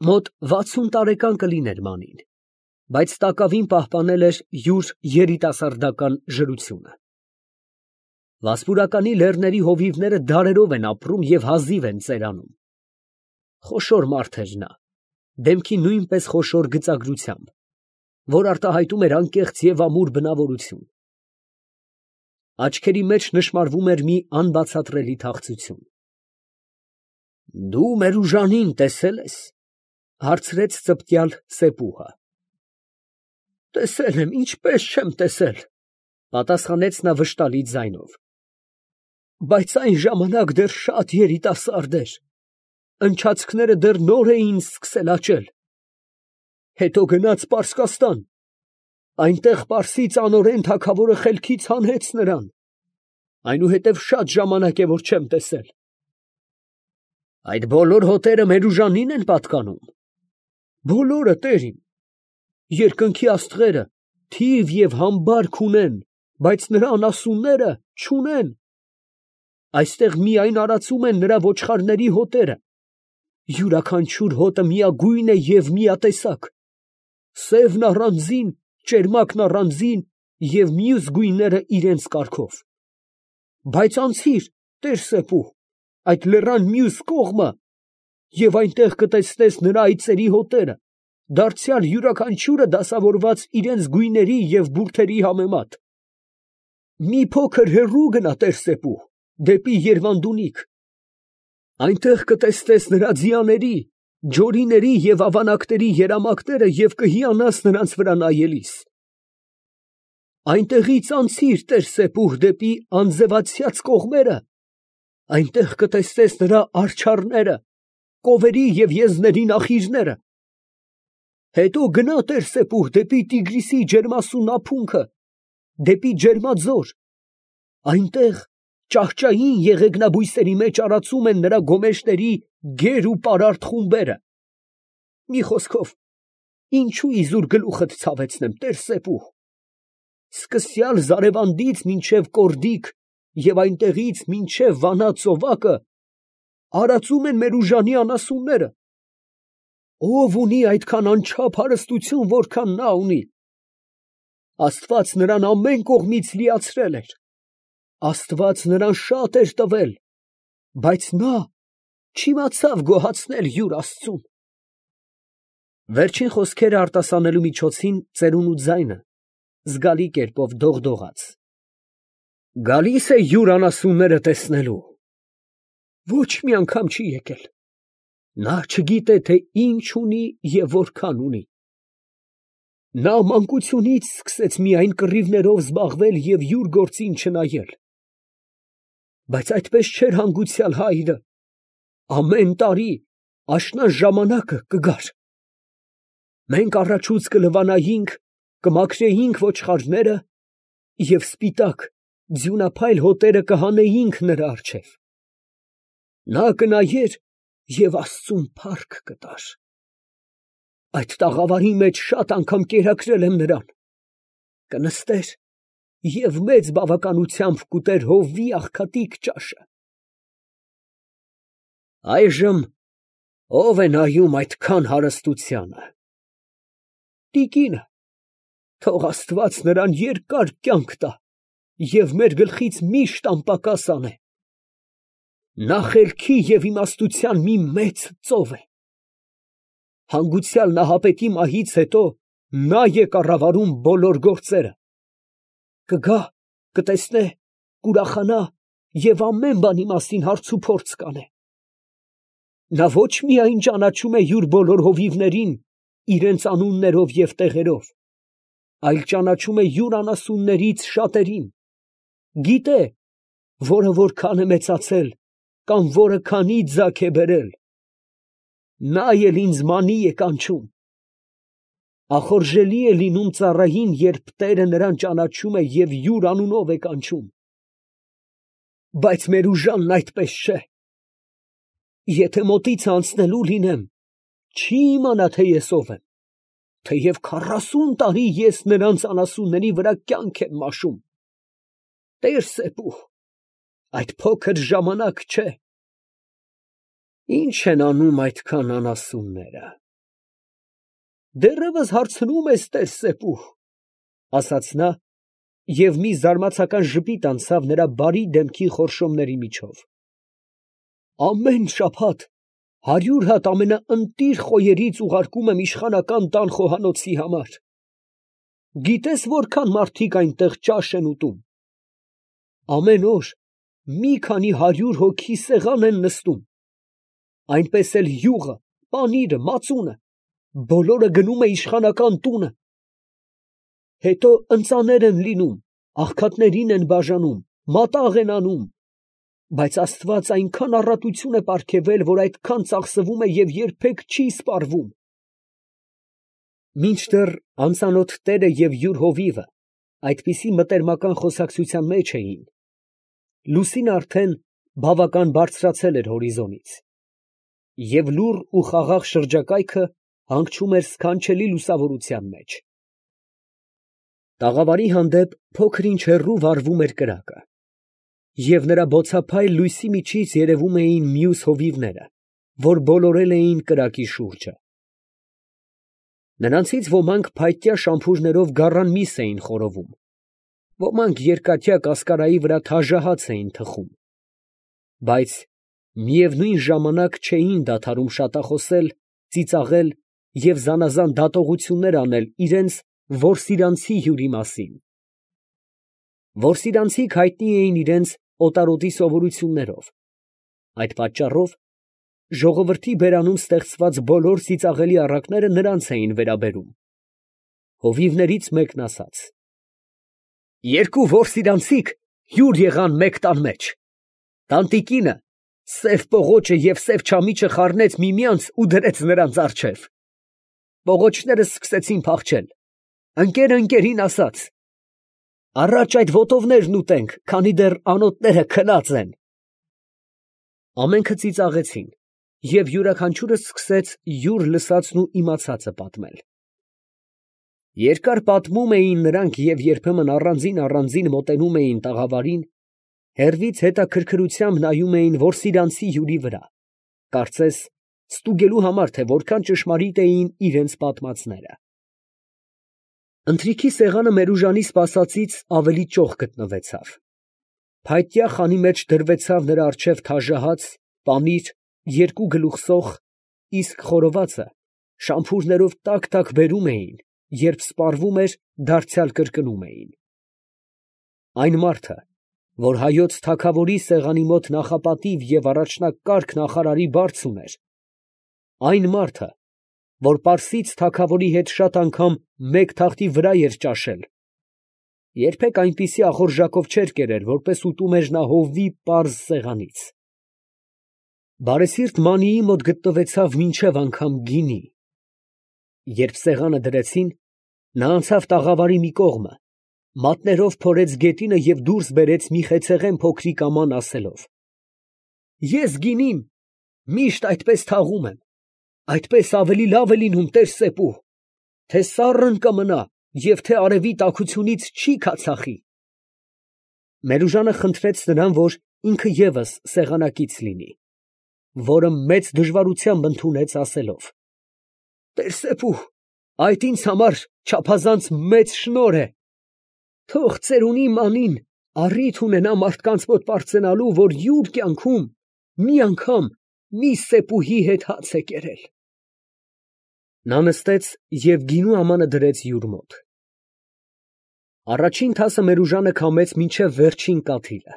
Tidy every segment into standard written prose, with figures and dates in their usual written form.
Մոտ 60 տարեկան կլիներ Մանին, բայց տակավին պահպանել էր յուր երիտասարդական ժրությունը։ Վասպուրականի լեռների հովիվները դարերով են ապրում և հազիվ են ծերանում։ Խոշոր մարդ էր նա, դեմքի նույնպես խոշոր գծագրությամբ, որ արտահայտում էր անկեղծ և ամուր բնավորություն։ Աչքերի մեջ նշմարվում էր մի անբացատրելի թախծություն։ ֊ Դու Մերուժանին տեսե՞լ ես, ֊ հարցրեց ծպտյալ սեպուհը։ ֊ Տեսել եմ, ինչպես չեմ տեսել, ֊ պատասխանեց նա վշտալի ձայնով, ֊ բայց այն ժամանակ դեռ շատ երիտասարդ էր, ընչացքները դեռ նոր էին սկսել աճել։ Հետո գնաց Պարսկաստան, այնտեղ պարսից անօրեն թագավորը խելքից հանեց նրան, այնուհետև շատ ժամանակ է, որ չեմ տեսել։ ֊ Այդ բոլոր հոտերը Մերուժանին են պատկանում։ ֊ Բոլորը, տեր իմ, երկնքի աստղերը թիվ և համբարք ունեն, բայց նրա անասունները չունեն։ Այստեղ միայն արածում են նրա ոչխարների հոտերը, յուրաքանչյուր հոտը միագույն է և միատեսակ, սևն առանձին, ճերմակն առանձին և մյուս գույները իրենց կարգով։ Բայց անցի՛ր, տեր սեպուհ, այդ լեռան մյուս կողմը, և այնտեղ կտեսնես նրա այծերի հոտերը, դարձյալ յուրաքանչյուրը դասավորված իրենց գույների և բուրդերի համեմատ։ Մի փոքր հեռու գնա, տեր սեպուհ, դեպի Երվանդունիք. այնտեղ կտեսնես նրա ձիաների, ջորիների և ավանակների երամակները և կհիանաս նրանց վրա նայելիս։ Այնտեղից անցի՛ր, տեր սեպուհ, դեպի անձևացյաց կողմերը, այնտեղ կտեսնես նրա արջառները, կովերի և եզների նախիրները։ Հետո գնա, տեր սեպուհ, դեպի Տիգրիսի ջերմասուն ափունքը, դեպի Ջերմաձոր, այնտեղ ճահճային եղեգնաբույսերի մեջ արածում են նրա գոմեշների գեր ու պարարտ խումբերը։ Մի խոսքով, ինչո՞ւ իզուր գլուխդ ցավեցնեմ, տեր սեպուհ։ Սկսյալ Զարևանդից մինչև Կորդիկ և այնտեղից մինչև Վանա ծովակը արածում են Մերուժանի անասունները։ Ո՞վ ունի այդքան անչափ հարստություն, որքան նա ունի։ Աստված նրան ամեն կողմից լիացրել էր, Աստված նրան շատ էր տվել, բայց նա չիմացավ գոհացնել յուր աստծուն։ Վերջին խոսքերը արտասանելու միջոցին ծերունու ձայնը զգալի կերպով դողդողաց։ Գալի՞ս է յուր անասունները տեսնելու։ Ոչ մի անգամ չի եկել։ Նա չգիտե, թե ինչ ունի և որքան ունի։ Նա մանկությունից սկսեց միայն կռիվներով զբաղվել և յուր գործին չնայել։ Բայց այդպես չէր հանգուցյալ հայրը, ամեն տարի աշնան ժամանակը կգար։ Մենք առաջուց կլվանայինք, կմաքրեինք ոչխարները և սպիտակ, ձյունափայլ հոտերը կհանեինք նրա առջև։ Նա կնայեր և աստծուն փառք կտար։ Այդ տաղավարի մեջ շատ անգամ կերակրել եմ նրան։ Կնստեր և մեծ բավականությամբ կուտեր հովվի աղքատիկ ճաշը։ Այժմ ո՞վ է նայում այդքան հարստությանը։ Տիկինը, թող Աստված նրան երկար կյանք տա և մեր գլխից միշտ անպակաս անե։ Նա խելքի և իմաստության մի մեծ ծով է։ Հանգուցյալ Նահապետի մահից հետո նա է կառավարում բոլոր գործերը։ Կգա, կտեսնե, կուրախանա և ամեն բանի մասին հարցուփորձ կանե։ Նա ոչ միայն ճանաչում է յուր բոլոր հովիվներին իրենց անուններով և տեղերով, այլ ճանաչում է յուր անասուններից շատերին, գիտե, որը որքան է մեծացել կամ որը քանի ձագ է բերել։ Նա էլ ինձ Մանի է կանչում։ Ախորժելի է լինում ծառային, երբ տերը նրան ճանաչում է և յուր անունով է կանչում։ Բայց Մերուժանն այդպես չէ։ Եթե մոտից անցնելու լինեմ, չի իմանա, թե ես ով եմ, թեև 40 տարի ես նրանց անասունների վրա կյանք եմ մաշում։ Տեր սեպուհ, այդ փոքր ժամանակ չէ։ Ի՞նչ են անում այդքան անասունները։ Դեռևս հարցնում ես, տեր Սեպուհ, ասաց նա, և մի զարմացական ժպիտ անցավ նրա բարի դեմքի խորշոմների միջով։ Ամեն շաբաթ 100 հատ ամենաընտիր խոյերից ուղարկում եմ իշխանական տան խոհանոցի համար. գիտե՞ս որքան մարդիկ այնտեղ ճաշ են ուտում. ամեն օր մի քանի 100 հոգի սեղան են նստում, այնպես էլ յուղը, պանիրը, մածունը, բոլորը գնում է իշխանական տունը, հետո ընծաներ են լինում, աղքատներին են բաժանում, մատաղ են անում, բայց Աստված այնքան առատություն է պարգևել, որ այդքան ծախսվում է և երբեք չի սպառվում։ Մինչդեռ անծանոթ տերը և յուր հովիվը այդպիսի մտերմական խոսակցության մեջ էին, լուսինը արդեն բավական բարձրացել էր հորիզոնից, և լուռ ու խաղաղ շրջակայքը հանգչում էր սքանչելի լուսավորության մեջ։ Տաղավարի հանդեպ փոքր ինչ հեռու վառվում էր կրակը, և նրա բոցափայլ լույսի միջից երևում էին մյուս հովիվները, որ բոլորել էին կրակի շուրջը։ Նրանցից ոմանք փայտյա շամփուրներով գառան միս էին խորովում, ոմանք երկաթյա կասկարայի վրա թաժահաց էին թխում, բայց միևնույն ժամանակ չէին դադարում շատախոսել, ծիծաղել և զանազան դատողություններ անել իրենց որսիրանցի հյուրի մասին։ Որսիրանցիք հայտնի էին իրենց օտարոտի սովորություններով, այդ պատճառով ժողովրդի բերանում ստեղծված բոլոր ծիծաղելի առակները նրանց էին վերաբերում։ Հովիվներից մեկն ասաց. երկու որսիրանցիք հյուր եղան մեկ տան մեջ, տանտիկինը սև պողոչը և սև չամիչը խառնեց միմյանց ու դրեց նրանց առջև։ Պողոչները սկսեցին փախչել, ընկերը ընկերին ասաց. առաջ այդ ոտովներն ուտենք, քանի դեռ անոթները քնած են։ Ամենքը ծիծաղեցին, և յուրաքանչյուրը սկսեց յուր լսածն ու իմացածը պատմել։ Երկար պատմում էին նրանք և երբեմն առանձին մոտենում էին տաղավարին, հեռվից հետաքրքրությամբ նայում էին որսիրանցի հյուրի վրա, կարծես ստուգելու համար, թե որքան ճշմարիտ էին իրենց պատմածները։ Ընթրիքի սեղանը Մերուժանի սպասածից ավելի ճոխ գտնվեցավ։ Փայտյա խանի մեջ դրվեցավ նրա առջև թաժահաց, պանիր, 2 գլուխ սոխ, իսկ խորովածը շամփուրներով տաք բերում էին, երբ սպառվում էր, դարձյալ կրկնում էին։ Այն մարդը, որ հայոց թագավորի սեղանի մոտ նախապատիվ և առաջնակարգ նախարարի բարձ ուներ, այն մարդը, որ պարսից թագավորի հետ շատ անգամ մեկ թախտի վրա էր ճաշել, երբեք այնպիսի ախորժակով չէր կերել, որպես ուտում էր նա հովվի պարզ սեղանից։ Բարեսիրտ Մանիի մոտ գտնվեցավ մինչև անգամ գինի։ Երբ սեղանը դրեցին, նա անցավ տաղավարի մի կողմը, մատներով փորեց գետինը և դուրս բերեց մի խեցեղեն փոքրիկ աման, ասելով. ես գինին միշտ այդպես թաղում եմ, այդպես ավելի լավ է լինում, տեր Սեպուհ, թե սառն կմնա և թե արևի տաքությունից չի քացախի։ Մերուժանը խնդրեց նրան, որ ինքը ևս սեղանակից լինի, որը մեծ դժվարությամբ ընդունեց, ասելով. տեր Սեպուհ, այդ ինձ համար չափազանց մեծ շնորհ է, թող ծերունի Մանին առիթ ունենա մարդկանց մոտ պարծենալու, որ յուր կյանքում մի անգամ մի Սեպուհի հետ հաց է կերել։ Նա նստեց և գինու ամանը դրեց յուր մոտ։ Առաջին թասը Մերուժանը քամեց մինչև վերջին կաթիլը։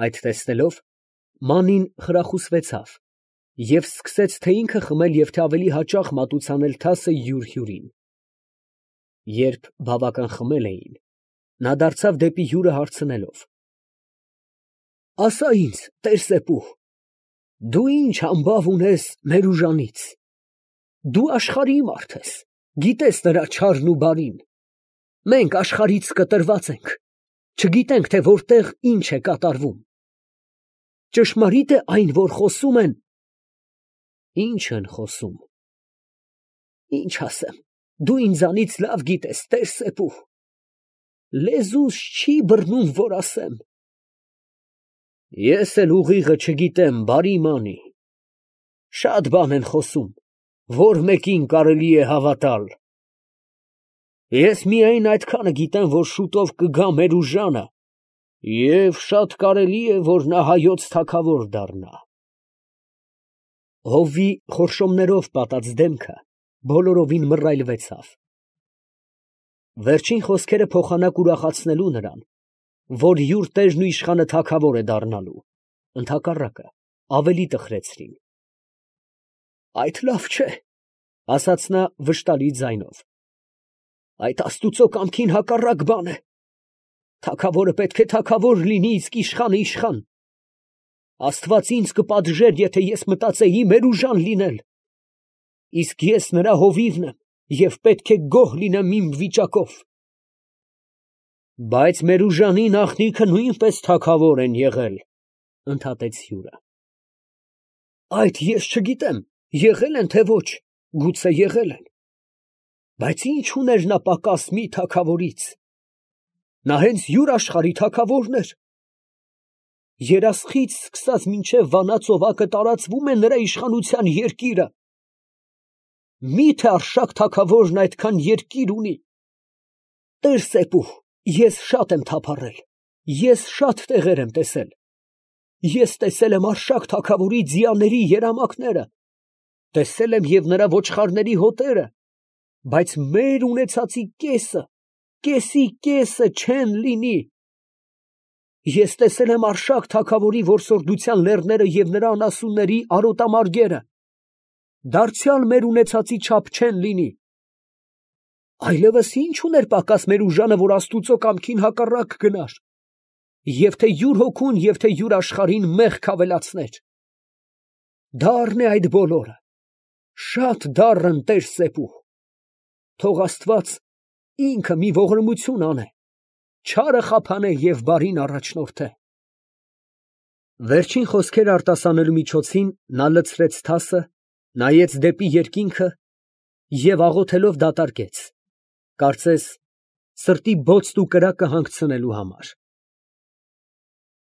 Այդ տեսնելով, Մանին խրախուսվեցավ և սկսեց թե ինքը խմել և թե ավելի հաճախ մատուցանել թասը յուր հյուրին։ Երբ բավական խմել էին, նա դարձավ դեպի հյուրը հարցնելով. ասա ինձ, տեր Սեպուհ, դու ի՞նչ համբավ ունես Մերուժանից. դու աշխարհի մարդ ես, գիտես նրա չարն ու բարին, մենք աշխարհից կտրված ենք, չգիտենք, թե որտեղ ինչ է կատարվում. ճշմարի՞տ է այն, որ խոսում են։ Ի՞նչ են խոսում։ Ինչ ասեմ, դու ինձանից լավ գիտես, տեր Սեպուհ, լեզուս չի բռնում, որ ասեմ։ Ես էլ ուղիղը չգիտեմ, բարի Մանի, շատ բան են խոսում, որ մեկին կարելի է հավատալ։ Ես միայն այդքանը գիտեմ, որ շուտով կգա Մերուժանը, և շատ կարելի է, որ նա հայոց թագավոր դառնա։ Հովվի խորշոմներով պատած դեմքը բոլորովին մռայլվեցավ։ Վերջին խոսքերը փոխանակ ուրախացնելու նրան, որ յուր տերն ու իշխանը թագավոր է դառնալու, ընդհակառակը, ավելի տխրեցրին։ Այդ լավ չէ, ասաց նա վշտալի ձայնով, այդ աստուծո կամքին հակառակ բան է։ Թագավորը պետք է թագավոր լինի, իսկ իշխանը իշխան։ Աստված ինձ կպատժեր, եթե ես մտածեի Մերուժան լինել, իսկ ես նրա հովիվն եմ և պետք է գոհ լինեմ իմ վիճակով։ Բայց Մերուժանի նախնիքը նույնպես թագավոր են եղել, ընդհատեց հյուրը։ Այդ ես չգիտեմ, եղել են, թե ոչ, գուցե եղել են, բայց ինչ ուներ նա պակաս մի թագավորից։ Նա հենց յուր աշխարհի թագավորն էր։ Երասխից սկսած մինչև Վանա ծովակը տարածվում է նրա իշխանության երկիրը։ Մի՞թե Արշակ թագավորն այդքան երկիր ունի։ Տեր Սեպու, ես շատ եմ թափառել, ես շատ տեղեր եմ տեսել։ Ես տեսել եմ Արշակ թագավորի ձիաների երամակները, տեսել եմ և նրա ոչխարների հոտերը, բայց մեր ունեցածի կեսը, կեսի կեսը չեն լինի։ Ես տեսել եմ Արշակ թագավորի որսորդության լեռները և նրա անասունների արոտամարգերը, դարձյալ մեր ունեցածի չափ չեն լինի։ Այլևս ի՞նչ ուներ պակաս Մերուժանը, որ աստուծո կամքին հակառակ գնար, և թե յուր հոգուն, և թե յուր աշխարհին մեղք ավելացներ։ Դառն է այդ բոլորը, շատ դառն, Տեր Սեպու։ Թող Աստված ինքը մի ողորմություն անե, չարը խափանե և բարին առաջնորդե։ Վերջին խոսքերը արտասանելու միջոցին նա լցրեց թասը, նայեց դեպի երկինքը և աղոթելով դատարկեց, կարծես սրտի բոցդ ու կրակը հանգցնելու համար։